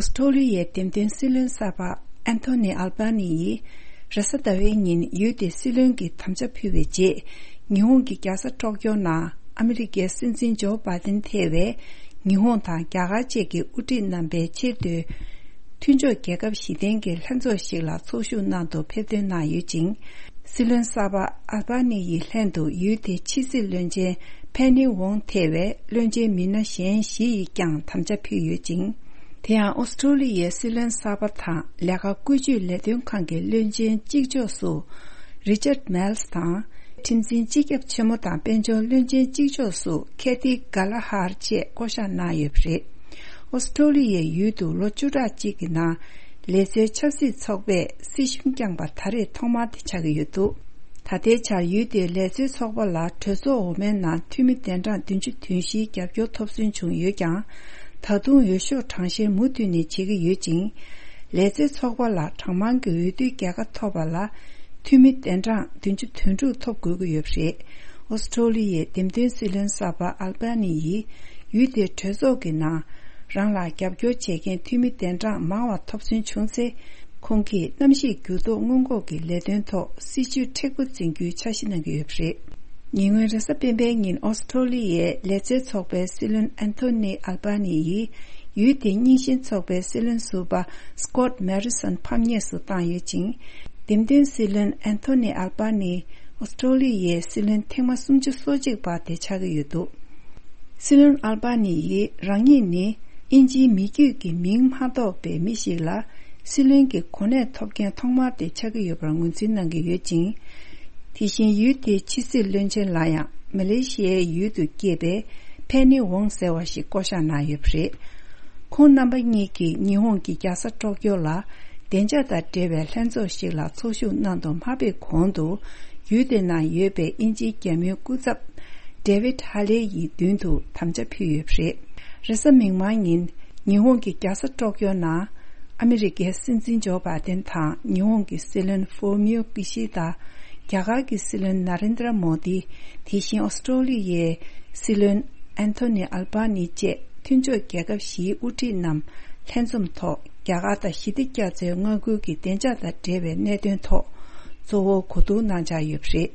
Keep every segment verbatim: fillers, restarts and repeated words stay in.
ཨོ་སི་ཀྲོ་ལི་ཡའི་འདེམས་ཐོན་སྲིད་བློན་གསར་པ་ཨན་ཐོ་ནི་ཨལ་བྷ་ནི་ཡིས་རེས་གཟའ་ཟླ་བའི་ཉིན་ཡུལ་དེའི་སྲིད་བློན་གྱི་དམ་བཅའ་ཕུལ་བའི་རྗེས། ཉི་ཧོང་གི་རྒྱལ་ས་ཊོག་ཀྱོ་ནང་ཨ་མི་རི་ཀའི་སྲིད་འཛིན་ཇོ་བྷ་དན་ཐེ་བའི་ཉི་ཧོང་དང་རྒྱ་གར་བཅས་ཀྱི་དབུ་ཁྲིད་རྣམ་པའི་ཆེས་མཐོའི་མཐུན་ཕྱོགས་རྒྱལ་ཁབ་བཞི་ལྡན་གྱི་ལྷན་ཚོགས་ཤིག་ལ་ཚོགས་ཞུགས་གནང་དུ་ཕེབས་ཐོན་གནང་ཡོད་ཅིང་། སྲིད་བློན་གསར་པ་ཨལ་བྷ་ནི་ཡི་ལྷན་དུ་ཡུལ་དེའི་ཕྱི་སྲིད་བློན་ཆེན་ཕེ་ནི་ཝོང་ཐེ་བའི་བློན་ཆེན་མི་སྣ་གཞན་བཞི་ཡིས་ཀྱང་དམ་བཅའ་ཕུལ་ཡོད་ཅིང་། དེ་ཡང་ཨོ་སི་ཀྲོ་ལི་ཡའི་སྲིད་བློན་གསར་པ་དང་ལས་ཀ་བཀོལ་སྤྱོད་ལས་དོན་ཁང་གི་བློན་ཆེན་གཅིག་ལྕོགས་སུ་རི་ཅར་མེལ་སི་དང་། ཁྲིམས་འཛིན་སྤྱི་ཁྱབ་ཆེན་མོ་དང་དཔལ་འབྱོར་བློན་ཆེན་གཅིག་ལྕོགས་སུ་ཁེ་ཐི་ག་ལ་ཧར་བཅས་བསྐོ་གཞག་གནང་ཡོད་པ་རེད། ཨོ་སི་ཀྲོ་ལི་ཡའི་ཡུལ་དུ་ལོ་བཅུ་ཕྲག་གཅིག་གི་ནང་ལས་བཟོའི་ཆབ་སྲིད་ཚོགས་པས་སྲིད་གཞུང་བསྐྱངས་པ་ད་རེས་ཐོག་མ་དེ་ཆགས་ཀྱི་ཡོད་འདུག་ད་ལྟའི་ཆར་ཡུལ་དེའི་ལས་བཟོའི་ཚོགས་པ་ལ་གྲོས་ཚོགས་འོག་མའི་ནང་འཐུས་མི་གདན་གྲངས་བདུན་ཅུ་དོན་བཞིའི་རྒྱབ་སྐྱོར་ཐོབ་སོན་བྱུང་ཡོད་ཀྱང་། ད་དུང་འོས་ཤོག་གྲངས་བཤེར་མུ་མཐུད་ནས་བྱེད་ཀྱི་ཡོད་ཅིང་། ལས་བཟོའི་ཚོགས་པ་ལ་གྲངས་མང་གི་འོས་བསྡུའི་རྒྱལ་ཁ་ཐོབ་པ་ལ་འཐུས་མི་གདན་གྲངས་བདུན་ཅུ་དོན་དྲུག་ཐོབ་དགོས་ཀྱི་ཡོད་པ་རེད། ཨོ་སི་ཀྲོ་ལི་ཡའི་འདེམས་ཐོན་སྲིད་བློན་གསར་པ་ཨལ་བྷ་ནི་ཡིས་ཡུལ་དེའི་གྲོས་ཚོགས་ཀྱི་ནང་རང་ལ་རྒྱབ་སྐྱོར་བྱེད་མཁན་འཐུས་མི་གདན་གྲངས་མང་བ་ཐོབ་སོན་བྱུང་ཚེ། ཁོང་གིས་གནམ་གཤིས་འགྱུར་ལྡོག་སྔོན་འགོག་གི་ལས་དོན་ཐོག་སྲིད་ཇུས་མཁྲེགས་པོ་འཛིན་རྒྱུའི་འཆར་གཞི་གནང་གི་ཡོད་པ་རེད། ཉེ་སྔོན་རེས་གཟའ་སྤེན་པའི་ཉིན་ཨོ་སི་ཀྲོ་ལི་ཡའི་ལས་བཟོའི་ཚོགས་པའི་སྲིད་བློན་ཨན་ཐོ་ནི་ཨལ་བྷ་ནི་ཡིས་ཡུལ་དེའི་རྙིང་ཞེན་ཚོགས་པའི་སྲིད་བློན་ཟུར་པ་སི་ཀོད་མེ་རི་སོན་ཕམ་ཉེས་སུ་བཏང་ཡོད་ཅིང་། འདེམས་ཐོན་སྲིད་བློན་ཨན་ཐོ་ནི་ཨལ་བྷ་ནི་ཨོ་སི་ཀྲོ་ལི་ཡའི་སྲིད་བློན་ཐེངས་མ་སུམ་ཅུ་སོ་གཅིག་པ་དེ་ཆགས་ཀྱི་ཡོད་འདུག་སྲིད་བློན་ཨལ་བྷ་ནི་ཡིས་རང་ཉིད་ནི་དབྱིན་ཇིའི་མི་རྒྱུད་ཀྱི་མིང་མ་འདོགས་པའི་མི་ཞིག་ལ་སྲིད་བློན་གྱི་གོ་གནས་ཐོབ་མཁན་ཐོག་མ་དེ་ཆགས་ཀྱི་ཡོད་པར་ངོས་འཛིན་གནང་གི་ཡོད་ཅིང་། དེ་བཞིན་ཡུལ་དེའི་ཕྱི་སྲིད་བློན་ཆེན་ལ་ཡང་མ་ལེ་ཤི་ཡའི་ཡུལ་དུ་སྐྱེས་པའི་ཕེ་ནི་ཝོང་ཟེར་བ་ཞིག་བསྐོ་གཞག་གནང་ཡོད་པ་རེད། ཁོང་རྣམ་པ་གཉིས་ཀྱིས་ཉི་ཧོང་གི་རྒྱལ་ས་ཊོག་ཀྱོ་ལ་བདེ་འཇགས་དང་འབྲེལ་བའི་ལྷན་ཚོགས་ཤིག་ལ་ཚོགས་ཞུགས་གནང་དུ་མ་ཕེབས་གོང་དུ། ཡུལ་དེ་ནང་ཡོད་པའི་དབྱིན་ཇིའི་རྒྱལ་མོའི་སྐུ་ཚབ་ཌེ་ཝིད་ཧ་ལེ་ཡི་མདུན་དུ་དམ་བཅའ་ཕུལ་ཡོད་པ་རེད། རེས་གཟའ་མིག་དམར་ཉིན་ཉི་ཧོང་གི་རྒྱལ་ས་ཊོག་ཀྱོ་ནང་ཨ་མི་རི་ཀའི་སྲིད་འཛིན་ཇོ་བྷ་དན་དང་ཉི་ཧོང་གི་སྲིད་བློན་ཧྥུ་མིའོ་ཀི་ཤི་ད། རྒྱ་གར་གྱི་སྲིད་བློན་ན་རེན་དྲ་མོ་དི། དེ་བཞིན་ཨོ་སི་ཀྲོ་ལི་ཡའི་སྲིད་བློན་ཨན་ཐོ་ནི་ཨལ་བྷ་ནི་བཅས་མཐུན་ཕྱོགས་རྒྱལ་ཁབ་བཞིའི་དབུ་ཁྲིད་རྣམས་ལྷན་འཛོམས་ཐོག་རྒྱ་གར་དང་ཞི་བདེ་རྒྱ་མཚོའི་མངའ་ཁུལ་གྱི་བདེ་འཇགས་དང་འབྲེལ་བའི་གནད་དོན་ཐོག་གཙོ་བོ་གོ་བསྡུར་གནང་འཆར་ཡོད་པ་རེད།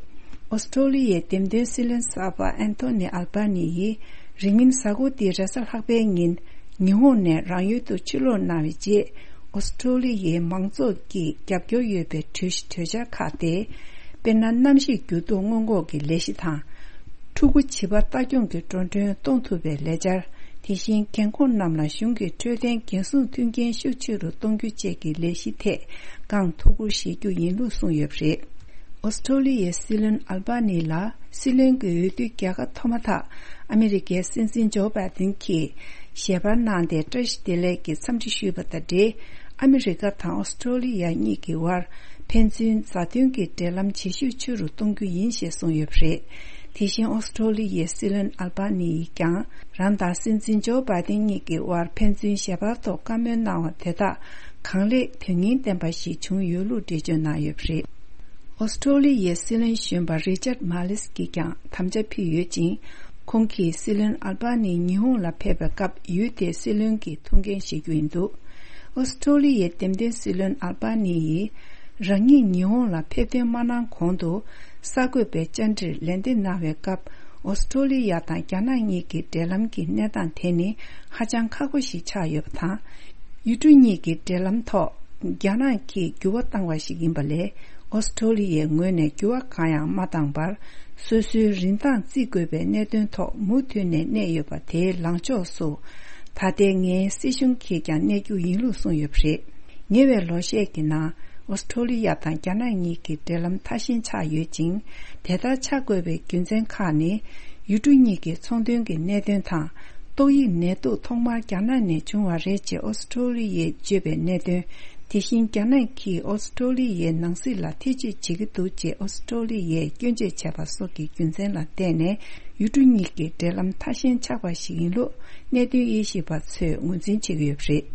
ཨོ་སི་ཀྲོ་ལི་ཡའི་འདེམས་ཐོན་སྲིད་བློན་གསར་པ་ཨན་ཐོ་ནི་ཨལ་བྷ་ནི་ཡིས་རིང་མིན་གཟའ་འཁོར་འདིའི་རེས་གཟའ་ལྷག་པའི་ཉིན་ཉི་ཧོང་ནས་རང་ཡུལ་དུ་ཕྱིར་ལོག་གནང་བའི་རྗེས། ཨོ་སི་ཀྲོ་ལི་ཡའི་མང་ཚོགས་ཀྱི་རྒྱབ་སྐྱོར་ཡོད་པའི་གྲོས་གཞི་གྲོས་འཆར་ཁག་སྟེ། དཔེར་ན། གནམ་གཤིས་འགྱུར་ལྡོག་སྔོན་འགོག་གི་ལས་གཞི་དང་། ཕྲུ་གུ་བྱིས་པ་ལྟ་སྐྱོང་གི་འགྲོ་གྲོན་གཏོང་ཐུབ་པའི་ལས་འཆར། དེ་བཞིན་རྒན་འཁོགས་རྣམས་ལ་གཞུང་གི་འཕྲོད་བསྟེན་འགན་སྲུང་མཐུན་རྐྱེན་ཤུགས་ཆེ་རུ་གཏོང་རྒྱུ་བཅས་ཀྱི་ལས་གཞི་ཐད་ཀྱང་ཐུགས་ཁུར་བཞེས་རྒྱུ་ཡིན་ལུགས་གསུངས་ཡོད་པ་རེད། ཨོ་སི་ཀྲོ་ལི་ཡའི་སྲིད་བློན་ཨལ་བྷ་ནི་ལ་སྲིད་བློན་གྱི་འོས་བསྡུའི་རྒྱལ་ཁ་ཐོབ་མ་ཐག་ཨ་མི་རི་ཀའི་སྲིད་འཛིན་ཇོ་བྷ་དན་གྱིས་ཞལ་པར་གནང་སྟེ་བཀྲ་ཤིས་བདེ་ལེགས་ཀྱི་འཚམས་འདྲི་ཞུས་པ་དང་འབྲེལ། ཨ་མི་རི་ཀ་དང་ཨོ་སི་ཀྲོ་ལི་ཡ་གཉིས་ཀྱི་དབར་ཕན་ཚུན་མཛའ་མཐུན་གྱི་འབྲེལ་ལམ་ཇེ་ཤུགས་ཆེ་རུ་གཏོང་རྒྱུ་ཡིན་ཞེས་གསུངས་ཡོད་པ་རེད། དེ་བཞིན་ཨོ་སི་ཀྲོ་ལི་ཡའི་སྲིད་བློན་ཨལ་བྷ་ནི་ཡིས་ཀྱང་རང་དང་སྲིད་འཛིན་ཇོ་བྷ་དན་གཉིས་ཀྱི་དབར་ཕན་ཚུན་ཞལ་པར་ཐོག་བཀའ་མོལ་གནང་བ་དེ་དག་གང་ལེགས་དོན་སྙིང་ལྡན་པ་ཞིག་བྱུང་ཡོད་ལུགས་འགྲེལ་བརྗོད་གནང་ཡོད་པ་རེད། ཨོ་སི་ཀྲོ་ལི་ཡའི་སྲིད་བློན་གཞོན་པ་རི་ཅར་མ་ལིས་ཀྱིས་ཀྱང་དམ་བཅའ་ཕུལ་ཡོད་ཅིང་། ཁོང་གིས་སྲིད་བློན་ཨལ་བྷ་ནི་ཉི་ཧོང་ལ་ཕེབས་པའི་སྐབས་ཡུལ་དེའི་སྲིད་བློན་གྱི་ཐུགས་འགན་བཞེས་རྒྱུ་ཡིན་འདུག་ཨོ་སི་ཀྲོ་ལི་ཡའི་འདེམས་ཐོན་སྲིད་བློན་ཨལ་བྷ་ནི་ཡིས་རང་ཉིད་ཉི་ཧོང་ལ་ཕེབས་ཐོན་མ་གནང་གོང་དུ་གསར་འགོད་པའི་བཅར་འདྲིར་ལན་འདེབས་གནང་བའི་སྐབས། ཨོ་སི་ཀྲོ་ལི་ཡ་དང་རྒྱ་ནག་གཉིས་ཀྱི་འབྲེལ་ལམ་གྱི་གནས་སྟངས་དེ་ནི་ཧ་ཅང་ཁག་པོ་ཞིག་ཆགས་ཡོད་པ་དང་། ཡུལ་གྲུ་གཉིས་ཀྱི་འབྲེལ་ལམ་ཐོག་རྒྱ་ནག་གིས་འགྱུར་བ་བཏང་བ་ཞིག་ཡིན་པ་ལས། ཨོ་སི་ཀྲོ་ལི་ཡའི་ངོས་ནས་འགྱུར་བ་གང་ཡང་མ་བཏང་བར། སོ་སོའི་རིན་ཐང་བརྩི་དགོས་པའི་གནད་དོན་ཐོག་མུ་མཐུད་ནས་གནས་ཡོད་པ་དེའི་ལངས་ཕྱོགས་སུ། ད་ལྟའི་ངའི་སྲིད་གཞུང་གིས་ཀྱང་གནས་རྒྱུ་ཡིན་ལུགས་གསུངས་ཡོད་པ་རེད། ཉེ་བའི་ལོ་ཤས་ཀྱི་ནང་། ཨོ་སི་ཀྲོ་ལི་ཡ་དང་རྒྱ་ནག་གཉིས་ཀྱི་འབྲེལ་ལམ་མཐའ་གཞན་ཆགས་ཡོད་ཅིང་། དེ་ལྟར་ཆགས་དགོས་པའི་རྒྱུ་མཚན་ཁག་ནི། ཡུལ་གྲུ་གཉིས་ཀྱི་ཚོང་དོན་གྱི་གནད་དོན་དང་། ཏོག་དབྱིབས་ནད་དུག་ཐོག་མར་རྒྱ་ནག་ནས་བྱུང་བ་རེད་ཅེས་ཨོ་སི་ཀྲོ་ལི་ཡས་བརྗོད་པའི་གནད་དོན། དེ་བཞིན་རྒྱ་ནག་གིས་ཨོ་སི་ཀྲོ་ལི་ཡའི་ནང་སྲིད་ལ་ཐེ་བྱུས་བྱེད་ཀྱི་འདུག་ཅེས་ཨོ་སི་ཀྲོ་ལི་ཡས་སྐྱོན་བརྗོད་བྱས་པ་སོགས་ཀྱི་རྒྱུ་མཚན་ལ་བརྟེན་ནས། ཡུལ་གྲུ་གཉིས་ཀྱི་འབྲེལ་ལམ་མཐའ་གཞན་ཆགས་པ་ཞིག་ཡིན་ལུགས་གནད་དོན་དབྱེ་ཞིབ་པ་ཚོས་ངོས་འཛིན་བྱེད་ཀྱི་ཡོད་པ་རེད།